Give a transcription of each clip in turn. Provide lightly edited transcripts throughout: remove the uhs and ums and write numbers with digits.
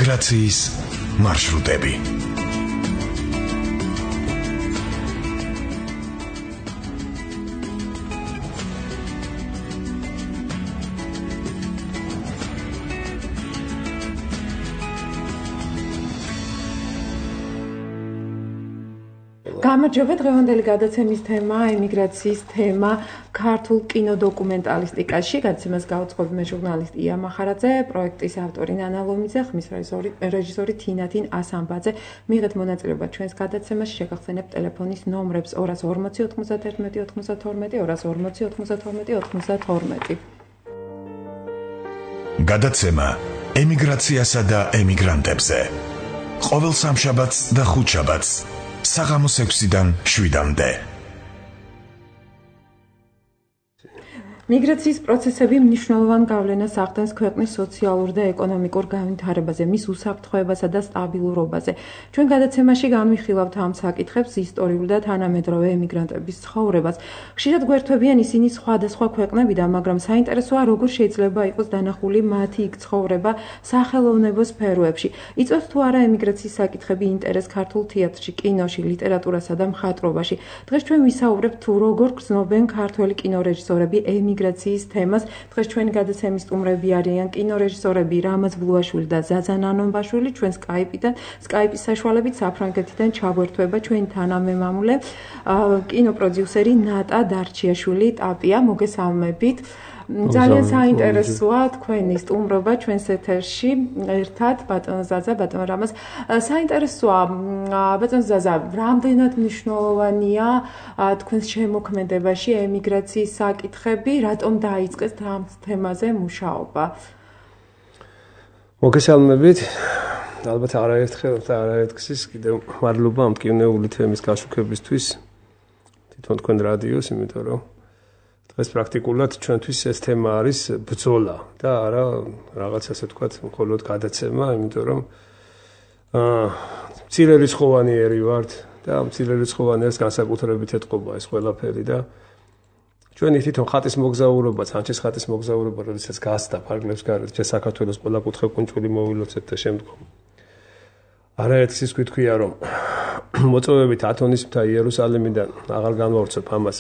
ემიგრაციის მარშრუტები. გამარჯობა, დღევანდელი გადაცემის თემა ემიგრაციის თემა ქართულ კინოდოკუმენტალისტიკაში. გადაცემას გაუძღვები მე ჟურნალისტი ია მახარაძე, პროექტის ავტორი ნანა ლომიძე, ხმის რეჟისორი თინათინ ასამბაძე. მიღეთ მონაწილეობა ჩვენს გადაცემაში, შეგახსენებთ ტელეფონის ნომრებს 240 91 92 240 92 92. გადაცემა ემიგრაციასა და ემიგრანტებზე. ყოველ სამშაბათს და ხუთშაბათს საღამოს 6-დან 7-მდე. მიგრაციის პროცესები მნიშვნელოვან გავლენას ახდენს ქვეყნის სოციალურ და ეკონომიკურ განვითარებაზე, მის უსაფრთხოებასა და სტაბილურობაზე. ჩვენ გადაცემაში განვიხილავთ ამ საკითხებს, ისტორიულ და თანამედროვე ემიგრანტების ცხოვრებას. ხშირად გვერთვებიან ისინი სხვადასხვა ქვეყნებიდან, მაგრამ საინტერესოა, როგორ შეიძლება იყოს დანახული მათი იქ ცხოვრება სახელოვნებო სფეროებში. იწვევს თუ არა ემიგრაციის საკითხები ინტერესს ქართულ თეატრში, კინოში, ლიტერატურასა და მხატვრობაში. დღეს ჩვენ ვისაუბრებთ თუ როგორ გრძნობენ ქართველი კინორეჟისორები ემიგრაციის თემას. დღეს ჩვენი გადაცემის სტუმრები არიან კინორეჟისორები რამაზ ბლუაშვილი და ზაზა ნანონბაშვილი. ჩვენ სკაიპის საშუალებით საფრანგეთიდან ჩაგვერთვება ჩვენი თანამემამულე კინოპროდიუსერი ნატა დარჩიაშვილი ტაპია. მოგესალმებით. ძალიან საინტერესოა თქვენი სტუმრობა ჩვენს ეთერში ერთად ბატონ ზაზა, ბატონ რამაზ. საინტერესოა ბატონ ზაზა, რამდენად მნიშვნელოვანია თქვენს შემოქმედებაში ემიგრაციის საკითხები, რატომ დაიწყეს ამ თემაზე მუშაობა? მოგესალმებით. ალბათ არაერთხელ და არაერთგზის კიდევ მადლობა ამ მტკივნეული თემის გაშუქებისთვის თვითონ თქვენ რადიოს, იმიტომ რომ დღეს პრაქტიკულად ჩვენთვის ეს თემა არის ბრძოლა და არა რაღაც ასე ვთქვათ, მხოლოდ გადაცემა, იმიტომ რომ მცირერიცხოვანიერი ვართ და მცირერიცხოვანიერს განსაკუთრებით ეთყობა ეს ყველაფერი და ჩვენი თვითონ ხატის მოგზაურობა, სანჩეს ხატის მოგზაურობა, როდესაც გასდა ფარგლებს გარეთ, ჩვენ საქართველოს ყველა კუთხე კუნჭული მოვილოცეთ და შემდგომ. არაერთგზის გვითქვია, რომ მოწვევებით ათონის მთა იერუსალიმიდან აღარ განვავრცობ ამას.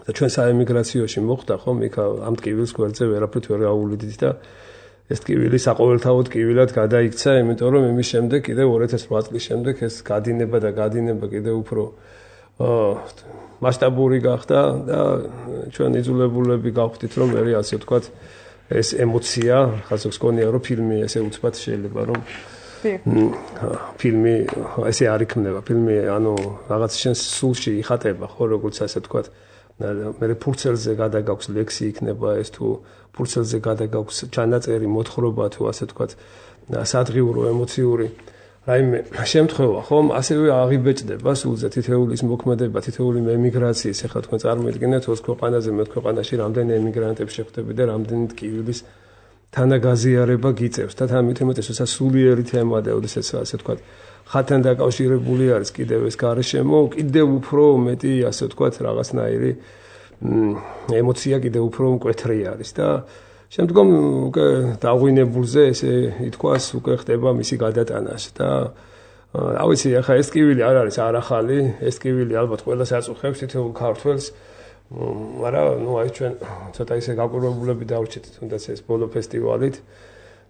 და ჩვენ საემიგრაციოში მოხდა ხომ იქ ამ ტკივილს გვერდზე ვერაფრით ვერ გაუვლიდით და ეს ტკივილი საყოველთაოდ ტკივილად გადაიქცა, იმიტომ რომ იმის შემდეგ კიდევ 2008 წლის შემდეგ ეს გადინება კიდევ უფრო მასშტაბური გახდა და ჩვენ იძულებულები გავხდით რომ მე ასე ვთქვათ ეს ემოცია, ხაზობს გონია რომ ფილმი ესე უცბად შეიძლება რომ ფილმი ესე არ იქნება, ფილმი ანუ რაღაც შენს სულში იხატება ხო როგორც ასე ვთქვათ მე ფურცელზე გადაგაქვს ლექსი იქნება ეს თუ ფურცელზე გადაგაქვს ჩანაწერი მოთხრობა თუ ასე ვთქვათ სადღიურო ემოციური რაიმე შემთხვევა ხომ ასევე აღიბეჭდება სულზე თითოეულის მოქმედება თითოეული ემიგრაციის ახლა თქვენ წარმოიდგინეთ 20 ქვეყანაზე მე ქვეყანაში რამდენი ემიგრანტები შეხვდები და რამდენი ტკივილის თანაგაზიარება გიწევს და ამით უმეტესად სულიერი თემა და ოდესაც ასე ვთქვათ ხატთან დაკავშირებული არის კიდევ ეს გარშემო კიდევ უფრო მეტი ასე ვთქვათ რაღაცნაირი ემოცია კიდევ უფრო მკვეთრი არის და შემდგომ უკვე დაღვინებულზე ესე ითქვას უკვე ხდება მისი გადატანას და რა ვიცი ახლა ეს ტკივილი არ არის არახალი ეს ტკივილი ალბათ ყველას აწუხებს თითოეულ ქართველს მაგრამ ნუ აი ჩვენ ცოტა ისე გაკვირვებულები დავრჩით თუნდაც ეს ბოლო ფესტივალით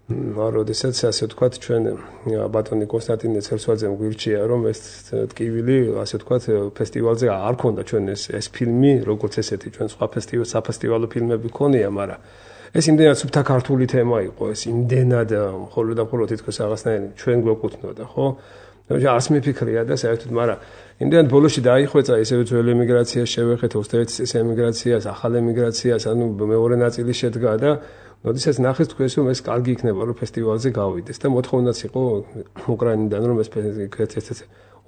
როდესაც ასე ვთქვათ ჩვენ ბატონი კონსტანტინე ცერცვაძემ გვირჩია რომ ეს ტკივილი ასე ვთქვათ ფესტივალზე არ ქონდა ჩვენ ეს ფილმი როგორც ესეთი ჩვენ სხვა საფესტივალო ფილმები ქონია მაგრამ ეს იმდენად სუფთა ქართული თემა იყო ეს იმდენად მხოლოდ და მხოლოდ თითქოს რაღაცნაირი ჩვენ გვეკუთვნოდა ხო არც მიფიქრია და საერთოდ მაგრამ იმდენად ბოლოში დაიხვეწა ისევ ძველი ემიგრაციას შევეხეთ 21 წლის ემიგრაციას ახალ ემიგრაციას ანუ მეორე ნაწილი შედგა და როდესაც ნახეს თქვენს რომ ეს კარგი იქნება რომ ფესტივალზე გავიდეს და მოთხოვნაც იყო უკრაინიდან რომ ეს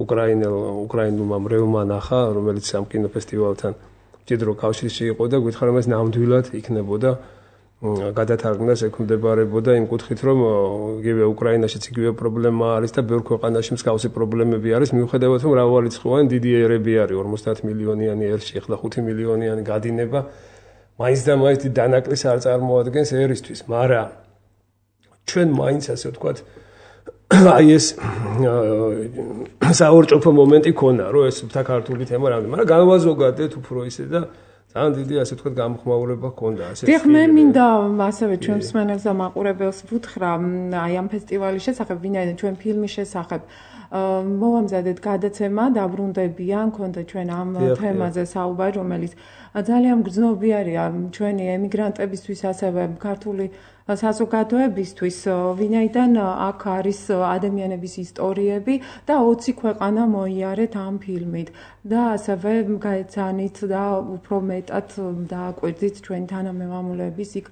უკრაინულმა მრევლმა ნახა რომელიც ამ კინოფესტივალთან მჭიდრო კავშირში იყო და გითხრა რომ ეს ნამდვილად იქნებოდა გადათარგმნას ექვემდებარებოდა იმ კუთხით რომ იგივე უკრაინაშიც იგივე პრობლემა არის და ბევრ ქვეყანაში მსგავსი პრობლემები არის მიუხედავად რომ მრავალრიცხოვანი დიდი ერები არის 50 მილიონიანი ერში ახლა 5 მილიონიანი გადინება მაინც და მაინც დანაკლის არ წარმოადგენს ერისთვის მაგრამ ჩვენ მაინც ასე ვთქვათ აი ეს საორჭოფო მომენტი ქონა, რომ ეს ქართული თემა რამდენი, მაგრამ განვაზოგადეთ უფრო ისე და ძალიან დიდი ასე ვთქვათ გამოხმაურება ქონდა ასე. დიახ, მე მინდა ასევე ჩვენ მსმენელს და მაყურებელს ვუთხრა აი ამ ფესტივალის შესახებ, ვინაიდან ჩვენ ფილმის შესახებ მოვამზადეთ გადაცემა დაბრუნდებიან, ქონდა ჩვენ ამ თემაზე საუბარი, რომელიც ძალიან გრძნობიარია ჩვენი ემიგრანტებისთვის, ასევე ქართული საზოგადოებისთვის, ვინაიდან აქ არის ადამიანების ისტორიები და 20 ქვეყანა მოიარეთ ამ ფილმით და ასევე გაეცანით და უფრო მეტად დააკვირდით ჩვენი თანამემამულეების იქ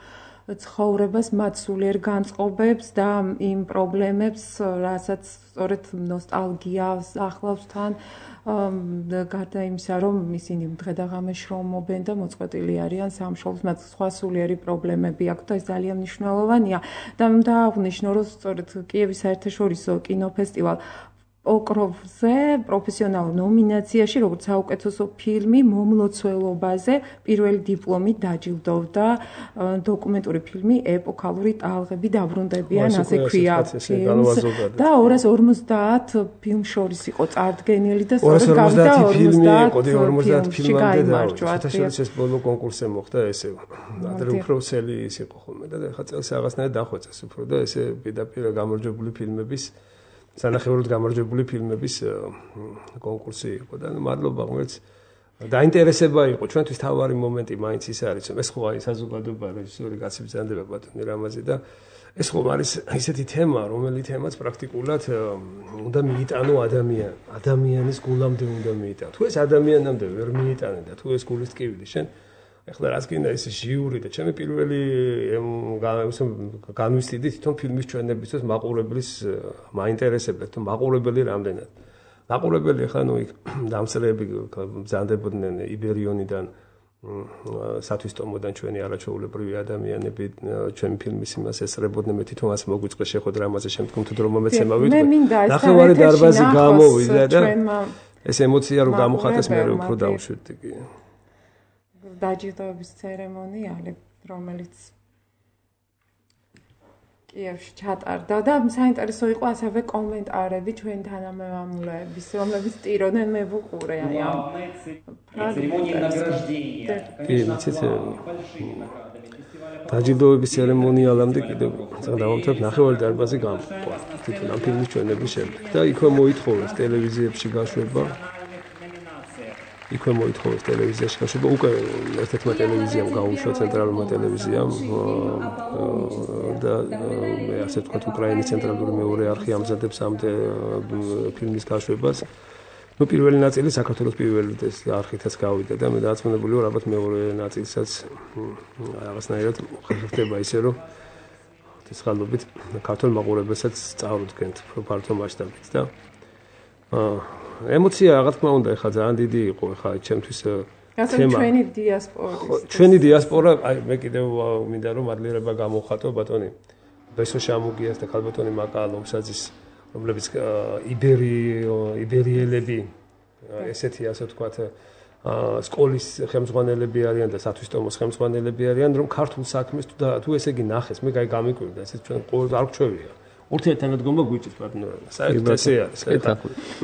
ცხოვრებას, მათ სულიერ განწყობებს და იმ პრობლემებს, რასაც სწორედ ნოსტალგიას ახლავს თან, გარდა იმისა, რომ ისინი დღე და ღამე შრომობენ და მოწყვეტილი არიან სამშობლოს, მათ სხვა სულიერი პრობლემები აქვს და ეს ძალიან მნიშვნელოვანია. და დააღვნიშნო, რომ სწორედ კიევის საერთაშორისო კინოფესტივალ ოკროვზე პროფესიონალურ ნომინაციაში, როგორც საუკეთესო ფილმი მომლოცველობაზე პირველი დიპლომით დაჯილდოვდა დოკუმენტური ფილმი ეპოქალური ტალღები დაბრუნდებიან, ასე ქვია ფილმს და 250 ფილმ შორის იყო წარდგენილი და სწორედ გავიდა 50 ფილმი გაიმარჯვა. საერთაშორისო ბოლო კონკურსზე მოხდა ესე. ადრე უფრო სელი ის იყო ხოლმე და ხა წელს რაღაცნაირად დახვეწეს უფრო და ესე პირდაპირ გამარჯვებული ფილმების სანახევროდ გამარჯვებული ფილმების კონკურსი იყო და მადლობა ღმერთს დაინტერესება იყო ჩვენთვის თავარი მომენტი მაინც ის არის რომ ეს ხო არის საზოგადოება რეჟისორი კაცი ბრძანდება ბატონი რამაზი და ეს ხო არის ისეთი თემა რომელიც თემაც პრაქტიკულად უნდა მიიტანო ადამიანის გულამდე უნდა მიიტანო თუ ეს ადამიანამდე ვერ მიიტანე და თუ ეს გულის ტკივილი შენ ეხლა რაც გინდა ეს ჟიური და ჩემი პირველი განვისტიდი თვითონ ფილმის ჩვენებისთვის მაყურებლის მაინტერესებდა თვითონ მაყურებელი რამდენად მაყურებელი ეხლა ნუ იქ დამსწრეები ბრძანდებოდნენ იბერიონიდან სათვისტომოდან ჩვენი არაჩვეულებრივი ადამიანები ჩვენი ფილმის იმას ესწრებოდნენ მე თვითონ ასე მოგვიწყდა შეხო დრამაზე შემდგომ თუ დრო მომეცემა ვიტყვი ნახევარი დარბაზი გამოვიდა და ეს ემოცია რომ გამოხატეს მე უფრო დავუშვიდი კი დაჯილდოების ცერემონიალი, რომელიც კიევში ჩატარდა და საინტერესო იყო ასევე კომენტარები ჩვენ თანამემამულეების, რომლებიც ტიროდნენ მე ვუყურე აი ამ დაჯილდოების ცერემონიალამდე კიდევ დავამთავრებ ნახევარი დარბაზი გამყვა თვითონ ამ ფილმის ჩვენების შემდეგ და იქვე მოითხოვეს ტელევიზიებში გაშვება იქვე მოითხოვეს ტელევიზიაში გაშვება უკვე ერთ-ერთმა ტელევიზიამ გაუშვა ცენტრალურმა ტელევიზიამ და ასე ვთქვათ უკრაინის ცენტრალური მეორე არხი ამზადებს ამ ფილმის გაშვებას. ნუ პირველი ნაწილი საქართველოს პირველი ეს არხითაც გავიდა და მე დააწმუნებული ვარ ალბათ მეორე ნაწილსაც რაღაცნაირად ხდება ისე რომ ცხადობით ქართულ მაყურებელსაც წარუდგენთ ფართო მასშტაბით და ემოცია რა თქმა უნდა ეხლა ძალიან დიდი იყო ეხლა ჩემთვის თემა ჩვენი დიასპორა ჩვენი დიასპორა აი მე კიდევ მინდა რომ მადლიერება გამოვხატო ბატონი ბესო შამუგიას და ქალბატონი მაკა ლომსაძის რომლებიც იბერიელები ესეთი ასე ვთქვათ სკოლის ხელმძღვანელები არიან და სათვისტომოს ხელმძღვანელები არიან რომ ქართულ საქმეს თუ ესე იგი ნახეს მე გამიკვირდა ესე ჩვენ ყოველ არ გჩვევია ურთიერთთანადგომა გვიჭირს ბატონო საერთოდ ესე არის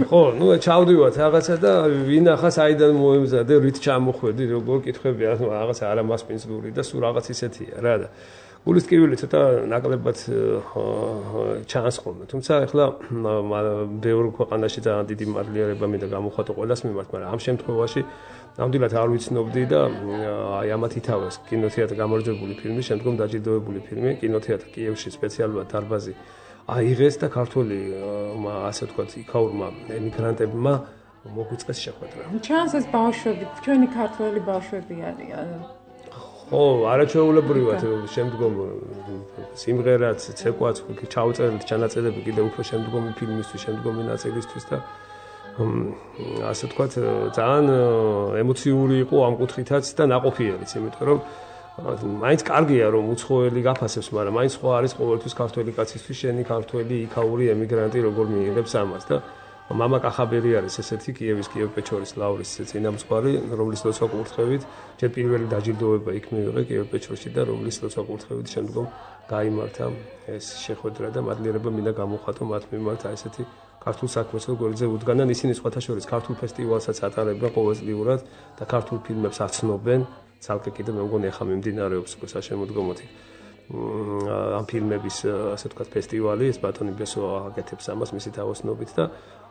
ხო ნუ ჩავდივართ რაღაცა და ვინახა საიდან მოემზადე რით ჩამოხვედი როგორ კითხები რაღაც არამასპინძლური და სულ რაღაც ისეთია რა და გულის ტკივილი ცოტა ნაკლებად ჩანს ხოლმე თუმცა ეხლა ბევრ ქვეყანაში ძალიან დიდი მადლიერება მინდა გამოვხატო ყველას მიმართ მაგრამ ამ შემთხვევაში ნამდვილად არ ვიცნობდი და აი ამათ ითავეს კინოთეატრ გამარჯვებული ფილმი შემდგომ დაჯილდოებული ფილმი კინოთეატრ კიევში სპეციალურად დარბაზი აიღეს და ქართული ასე ვთქვათ იქაურმა ემიგრანტებმა მოგვიწყეს შეხვედრა. ჩანს ეს ბავშვები, ჩვენი ქართველი ბავშვები არიან. ხო, არაჩვეულებრივად შემდგომ სიმღერაც, ცეკვაც ჩაუწერეთ ჩანაწერები კიდევ უფრო შემდგომი ფილმისთვის, შემდგომი ნაწილისთვის და ასე ვთქვათ ძალიან ემოციური იყო ამ კუთხითაც და ნაყოფიერიც, იმიტომ რომ მაინც კარგია რომ უცხოელი გაფასებს, მაგრამ მაინც სხვა არის ყოველთვის ქართველი კაცისთვის შენი ქართველი იქაური ემიგრანტი როგორ მიიღებს ამას და მამა კახაბერი არის ესეთი კიევ-პეჩორის ლავრის წინამძღვარი, რომლის ლოცვა კურთხევით ჯერ პირველი დაჯილდოება იქ მიიღო კიევ-პეჩორში და რომლის ლოცვა კურთხევით შემდგომ გაიმართა ეს შეხვედრა და მადლიერება მინდა გამოხატო მათ მიმართ ესეთი ქართულ საქმეს როგორიც უდგანან ისინი სხვათა შორის ქართულ ფესტივალსაც ატარებენ ყოველწლიურად და ქართულ ფილმებს აცნობენ ცალკე კიდე მე მგონი ახლა მიმდინარეობს საშემოდგომოდ ამ ფილმების ასე ვთქვათ ფესტივალი ეს ბატონი ბესო აკეთებს ამას მისი თავოსნობით და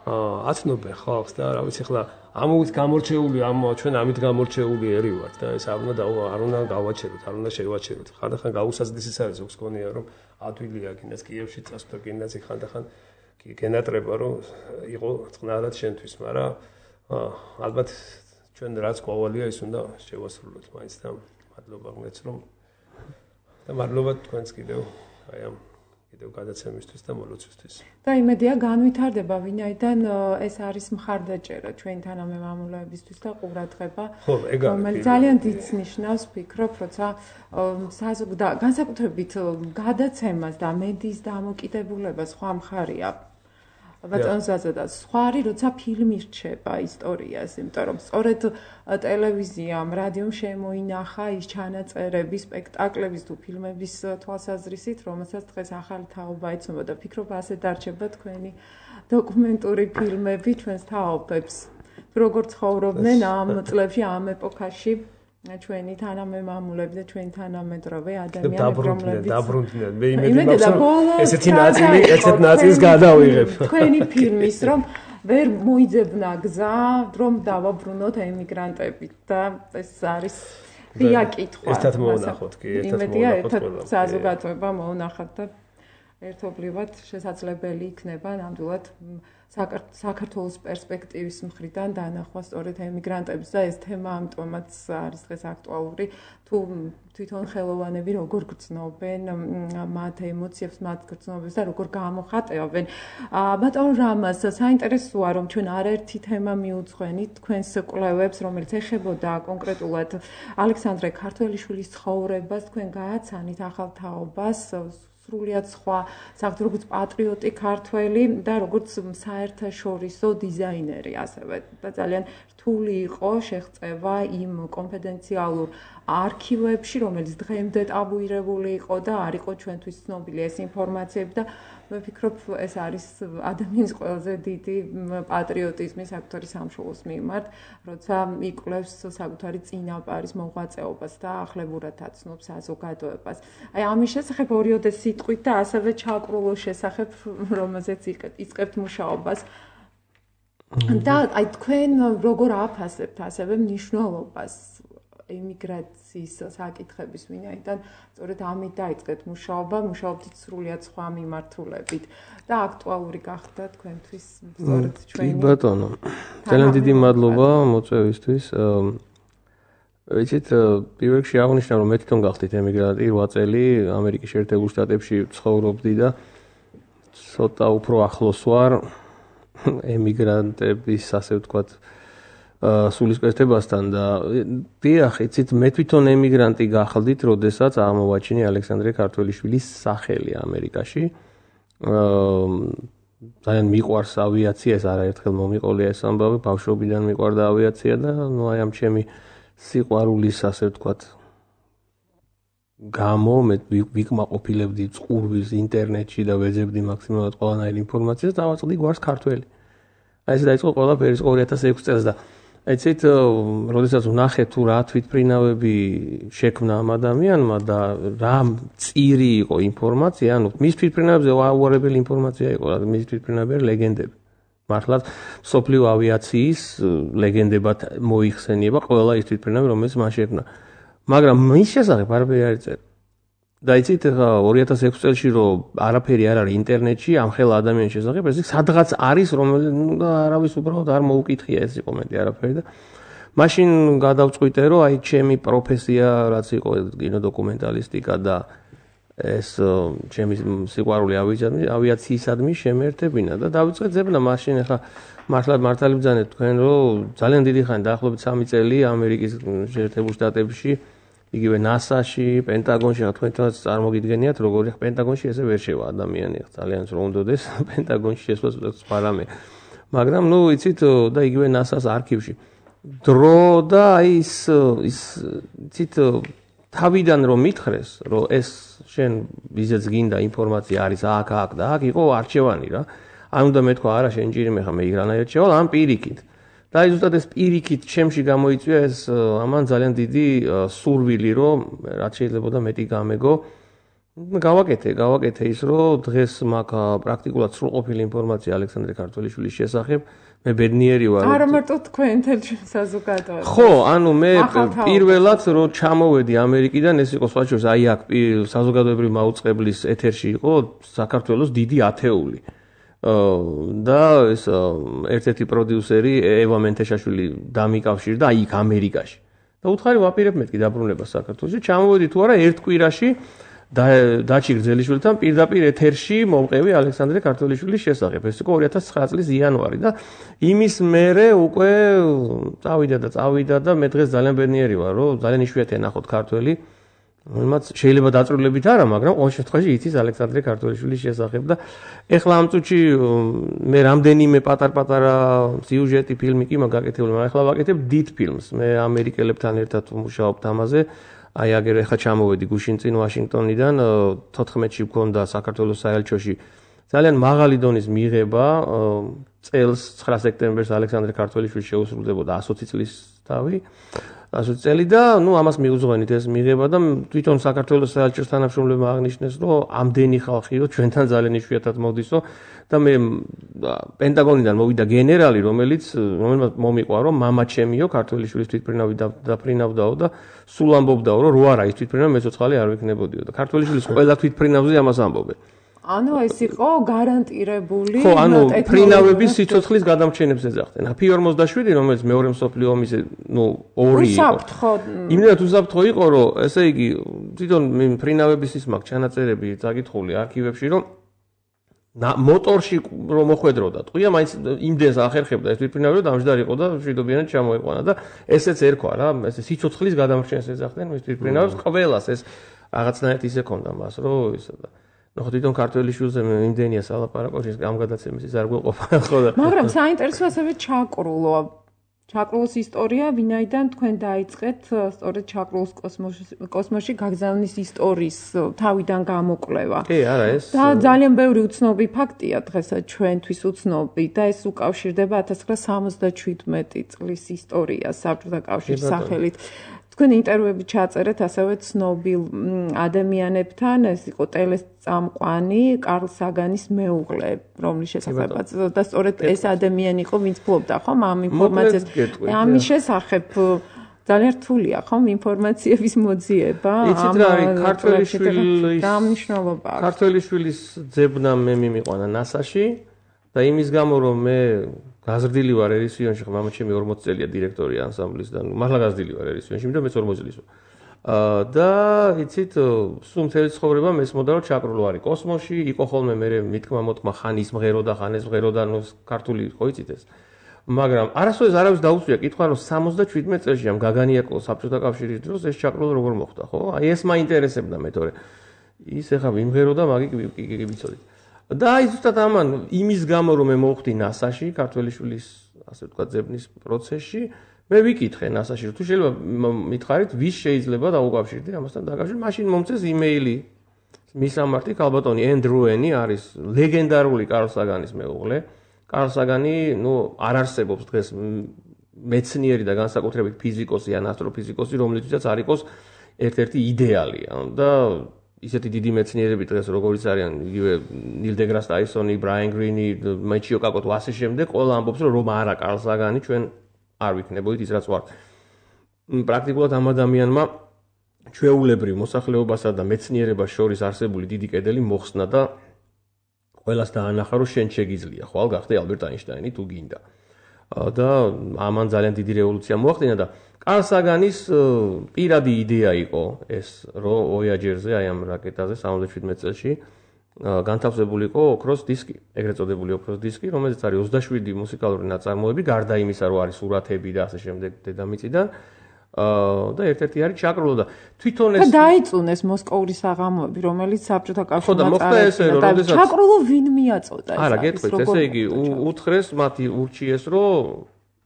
აცნობენ ხალხს და რა ვიცი ახლა ამით გამორჩეული ჩვენ ამით გამორჩეული ერი ვართ და ეს არ უნდა გავაჩეროთ არ უნდა შევაჩეროთ ხანდახან გაუსაზრდისიც არის ზოგს გონია რომ ადვილია კიდეც კიევში წასვლა კიდეც ხანდახან გენატრება რომ იყო წყნარად შენთვის მაგრამ ალბათ ჩვენ რაც ყოველია ის უნდა შევასრულოთ მაინც და მადლობა გმეც რომ და მადლობა თქვენს კიდევ აი ამ კიდევ გადაცემისთვის და მოლოცვისთვის. და იმედია განვითარდება ვინაიდან ეს არის მხარდაჭერა ჩვენი თანამემამულეებისთვის და ყურადღება. ხო, ეგ არის. რომელიც ძალიან დიდს ნიშნავს, ვფიქრობ, როცა განსაკუთრებით გადაცემას და მედიის დამოკიდებულება სხვა მხარია. ბატონზაძე და სხვა არის, როცა ფილმი რჩება ისტორიას, იმიტომ რომ სწორედ ტელევიზიამ, რადიომ შემოინახა ის ჩანაწერები, სპექტაკლების თუ ფილმების თვალსაზრისით, რომელსაც დღეს ახალი თაობა იცნობა და ფიქრობ, ასე დარჩება თქვენი დოკუმენტური ფილმები ჩვენს თაობებს. როგორ ცხოვრობდნენ ამ წლებში, ამ ეპოქაში ჩვენი თანამემამულები და ჩვენი თანამედროვე ადამიანები რომლებიც დაბრუნდნენ მე იმედი მაქვს ესეთი ნაწილის გადავიღებ თქვენი ფილმის რომ ვერ მოიძებნა გზა რომ დავაბრუნოთ ემიგრანტებით და ეს არის ღია კითხვა ერთად მოუნახოთ კი ერთად საზოგადოება მოუნახოთ და ერთობლივად შესაძლებელი იქნება ნამდვილად საქართველოს პერსპექტივის მხრიდან დანახვა სწორედ ემიგრანტების და ეს თემა ამიტომაც არის დღეს აქტუალური თუ თვითონ ხელოვანები როგორ გრძნობენ მათ ემოციებს, მათ გრძნობებს და როგორ გამოხატავენ. ბატონ რამას საინტერესოა რომ ჩვენ არაერთი თემა მიუძღვენით თქვენს კვლევებს, რომელიც ეხებოდა კონკრეტულად ალექსანდრე ქართველიშვილის ცხოვრებას, თქვენ გააცანით ახალ თაობას სრულიად სხვა საერთოდ როგორც პატრიოტი ქართველი და როგორც საერთაშორისო დიზაინერი ასევე და ძალიან რთული იყო შეღწევა იმ კონფიდენციალურ არქივებში რომელიც დღემდე ტაბუირებული იყო და არ იყო ჩვენთვის ცნობილი ეს ინფორმაციები და მე ვფიქრობ ეს არის ადამიანის ყველაზე დიდი პატრიოტიზმი საკუთარი სამშობლოს მიმართ როცა იკვლევს საკუთარი წინაპარის მოღვაწეობას და ახლებურად აცნობს საზოგადოებას აი ამის შესახებ ორიოდე სიტყვით და ასევე ჩაკრულოს შესახებ რომელზეც იწყებთ მუშაობას და აი თქვენ როგორ აფასებთ ასევე მნიშვნელობას ემიგრაციის საკითხების ვინაიდან სწორედ ამით დაიწყეთ მუშაობა, მუშაობდით სრულიად სხვა მიმართულებით და აქტუალური გახდა თქვენთვის სწორედ ჩვენი. კი ბატონო. ძალიან დიდი მადლობა მოწვევისთვის. ვიცით, პირველ რიგში აღნიშნა რომ მე თვითონ გახდით ემიგრანტი 8 წელი ამერიკის შეერთებულ შტატებში ცხოვრობდი და ცოტა უფრო ახლოს ვარ ემიგრანტების ასე ვთქვათ სულისკვეთებასთან და დიახ, იცით, მე თვითონ ემიგრანტი გახდით, როდესაც ამოვაჩინე ალექსანდრე ქართველიშვილის სახელი ამერიკაში. ძალიან მიყვარს ავიაცია, ეს არაერთხელ მომიყოლია ეს ამბავი, ბავშვობიდან მიყვარდა ავიაცია და ნუ აი ამ ჩემი სიყვარულის ასე ვთქვათ გამო მე ვიკმაყოფილებდი წყურვილს ინტერნეტში და ვეძებდი მაქსიმალურად ყველანაირ ინფორმაციას და დავაწყდი გვარს ქართველი. აი ეს დაიწყო ყველაფერი 2006 წელს და იცით, როდესაც ვნახე თუ რა თვითმფრინავები შექმნა ამ ადამიანმა და რა წირი იყო ინფორმაცია, ანუ მის თვითმფრინავებზე უარებელი ინფორმაცია იყო, მის თვითმფრინავები ლეგენდები. მართლაც სოფლიო ავიაციის ლეგენდებად მოიხსენიება ყველა ის თვითმფრინავი, რომელიც მან შექმნა. მაგრამ მის შესახებ არაფერი არ იწერა. და იცით, 2006 წელში რომ არაფერი არ არის ინტერნეტში ამ ხელა ადამიანის შესახებ, ეს სადღაც არის, რომელიც არავის უბრალოდ არ მოუკითხია ეს კომენტი არაფერი და მაშინ გადავწყვიტე, რომ აი ჩემი პროფესია რაც იყო კინოდოკუმენტალისტიკა და ეს ჩემი სიყვარული ავიაციისადმი შემეერთებინა და დავიწყე ძებნა მაშინ ახლა მართალი ბრძანეთ თქვენ რომ ძალიან დიდი ხანი დაახლოებით 3 წელი ამერიკის შეერთებულ შტატებში იგივე NASA-ში, პენტაგონში, თქვენ წარმოგიდგენიათ, როგორი პენტაგონში ესე ვერ შევა ადამიანი, ძალიან რომ უნდადეს პენტაგონში შესვლა სპარამე. მაგრამ ნუ იცით და იგივე NASA-ს არქივში დრო და ის იცით თავიდან რომ მითხრეს რომ ეს შენ ვიზეც გინდა ინფორმაცია არის აქ და აქ იყო არჩევანი რა არ უნდა მეთქვა არა შენ ჭირი მე ხა მე იგრანაირად შევალ ამ პირიქით და აი ზუსტად ეს პირიქით ჩემში გამოიწვია ეს ამან ძალიან დიდი სურვილი რომ რაც შეიძლება და მეტი გამეგო გავაკეთე ის რომ დღეს მაქვს პრაქტიკულად სრულყოფილი ინფორმაცია ალექსანდრე ქართველიშვილის შესახებ მე ბედნიერი ვარ არა მარტო თქვენ თელში საზოგადოება ხო ანუ მე პირველად რომ ჩამოვედი ამერიკიდან ეს იყო სხვა შორის აი აქ საზოგადოებრივი მაუწყებლის ეთერში იყო საქართველოს დიდი ათეული და ეს ერთ-ერთი პროდიუსერი ევა მენთეშაშვილი დამიკავშირდა აი იქ ამერიკაში და უთხარი ვაპირებ მეთქი დაბრუნება საქართველოში ჩამოვედი თუ არა ერთ კვირაში დაჩი გრძელიშვილთან პირდაპირ ეთერში მომყევი ალექსანდრე ქართველიშვილის შესახებ. ეს იყო 2009 წლის იანვარი და იმის მერე უკვე წავიდა და მე დღეს ძალიან ბედნიერი ვარ, რომ ძალიან იშვიათია ნახოთ ქართველი, რომელმაც შეიძლება დაწვრილებით არა, მაგრამ ყოველ შემთხვევაში იცის ალექსანდრე ქართველიშვილის შესახებ და ეხლა ამ წუთში მე რამდენიმე პატარ-პატარა სიუჟეტი ფილმი კი მაქვს გაკეთებული, მაგრამ ეხლა ვაკეთებ დიდ ფილმს. მე ამერიკელებთან ერთად ვმუშაობთ ამაზე. აი აგერ ახლა ჩამოვედი გუშინ წინ ვაშინგტონიდან 14-ში მქონდა საქართველოს საელჩოში ძალიან მაღალი დონის მიღება წელს 9 სექტემბერს ალექსანდრე ქართველიშვილს შეუსრულდებოდა 120 წლის თავი 120 წელი და ნუ ამას მიუძღვენით ეს მიღება და თვითონ საქართველოს საელჩოს თანამშრომლებმა აღნიშნეს რომ ამდენი ხალხიო ჩვენთან ძალიან იშვიათად მოდისო და მე პენტაგონიდან მოვიდა გენერალი რომელმაც მომიყვა რომ მამა ჩემიო ქართველიშვილის თვითმფრინავი დაფრინავდაო და სულ ამბობდაო რომ რო არა ის თვითმფრინავი მეცოცხალი არ ვიქნებოდიო და ქართველიშვილის ყველა თვითმფრინავზე ამას ამბობენ ანუ ეს იყო გარანტირებული ხო ანუ ფრინავების სიცოცხლის გადამრჩენებს ეძახდნენ 47 რომელიც მეორე მსოფლიო ომის ნუ ორი იყო უსაფრთხო იმდენად უსაფრთხო იყო რომ ესე იგი თვითონ ფრინავების ის მაქვს ჩანაწერები წაკითხული არქივებში რომ მოტორში რომ მოხვედროდა ტყვია მაინც იმდენს ახერხებდა ეს თვითმფრინავი რომ დამჯდარი იყო და მშვიდობიანად ჩამოეყვანა და ესეც ერქვა რა ეს სიცოცხლის გადამრჩენს ეძახდნენ მის თვითმფრინავს ყველას ეს რაღაცნაირად ისე ქონდა მას რომ ისა და ნახოთ თვითონ ქართველიშვილზე იმდენია სალაპარაკო ის ამ გადაცემის ის არ გვეყოფა ხო და მაგრამ საინტერესო ასევე ჩაკრულოს ისტორია ვინაიდან თქვენ დაიწყეთ სწორედ ჩაკრულოს კოსმოსში გაგზავნის ისტორიის თავიდან გამოკვლევა კი არა ეს და ძალიან ბევრი უცნობი ფაქტია დღესაც ჩვენთვის უცნობი და ეს უკავშირდება 1977 წლის ისტორიას საბჭოთა კავშირის სახელით თქვენ ინტერვიუები ჩაწერეთ ასევე ცნობილ ადამიანებთან, ეს იყო ტელესწამყვანი კარლ საგანის მეუღლე, რომლის შესახებაც და სწორედ ეს ადამიანი იყო, ვინც ფლობდა ხომ ამ ინფორმაციას. ამის შესახებ ძალიან რთულია ხომ ინფორმაციების მოძიება იცით რა არის ქართველიშვილის დამნიშნულობა აქვს. ქართველიშვილის ძებნა მე მიმიყვანა NASA-ში და იმის გამო რომ მე გაზრდილი ვარ ერისიონში, ხო მამა ჩემი 40 წელია დირექტორი ანსამბლისგან. მართლა გაზრდილი ვარ ერისიონში, იმიტომ მეც 40 წლის ვარ. და იცით, სულ მთელი ცხოვრება მესმოდა რომ ჩაკრულო არის კოსმოსში, იყო ხოლმე მე მითქმა-მოთქმა ხან ის მღერო და ხან ეს მღერო და ნუ ქართული ხო იცით ეს. მაგრამ არასოდეს არავის დაუწვია კითხვა რომ 77 წელში ამ გაგანიაკო საბჭოთა კავშირის დროს ეს ჩაკრულო როგორ მოხდა, ხო? აი ეს მაინტერესებდა მე თორე. ის ეხა ვიმღერო და მაგი კი ვიცოდით. და აი ზუსტად ამან იმის გამო რომ მე მოვხდი NASA-ში, ქართველიშვილის ასე ვთქვათ ძებნის პროცესში, მე ვიკითხე NASA-ში, თუ შეიძლება მითხარით, ვის შეიძლება დაუკავშირდე ამასთან დაკავშირებით, მაშინ მომწეს იმეილი მისამართი ქალბატონი ენდრუენი არის ლეგენდარული კარლ საგანის მეუღლე. კარლ საგანი, ნუ არ არსებობს დღეს მეცნიერი და განსაკუთრებით ფიზიკოსი ან ასტროფიზიკოსი, რომლითაც არ იყოს ერთ-ერთი იდეალი და ისეთი დიდი მეცნიერები დღეს როგორიც არიან იგივე ნილ დეგრას ტაისონი, ბრაიან გრინი, მეჩიო კაკოტო ასე შემდეგ, ყველა ამბობს რომ არა კარლ საგანი ჩვენ არ ვიქნებოდით ის რაც ვართ. პრაქტიკულად ამ ადამიანმა ჩვეულებრივ მოსახლეობასა და მეცნიერებას შორის არსებული დიდი კედელი მოხსნა და ყველას დაანახა რომ შენ შეგიძლია, ხვალ გახდე ალბერტ აინშტაინი თუ გინდა. და ამან ძალიან დიდი რევოლუცია მოახდინა და კარლ საგანის პირადი იდეა იყო ეს რომ ვოიაჯერზე აი ამ რაკეტაზე 77 წელში განთავსებული იყო ოქროს დისკი, ეგრეთ წოდებული ოქროს დისკი, რომელზეც არის 27 მუსიკალური ნაწარმოები, გარდა იმისა რომ არის სურათები და ასე შემდეგ დედამიწიდან და ერთ-ერთი არის ჩაკრულო და თვითონ ეს დაიწუნეს მოსკოვური საღამოები, რომელიც საბჭოთა კავშირმა წარადგინა და ჩაკრულო ვინ მიაწოდა ეს? არა, გეტყვით, ესე იგი უთხრეს მათი ურჩიეს, რომ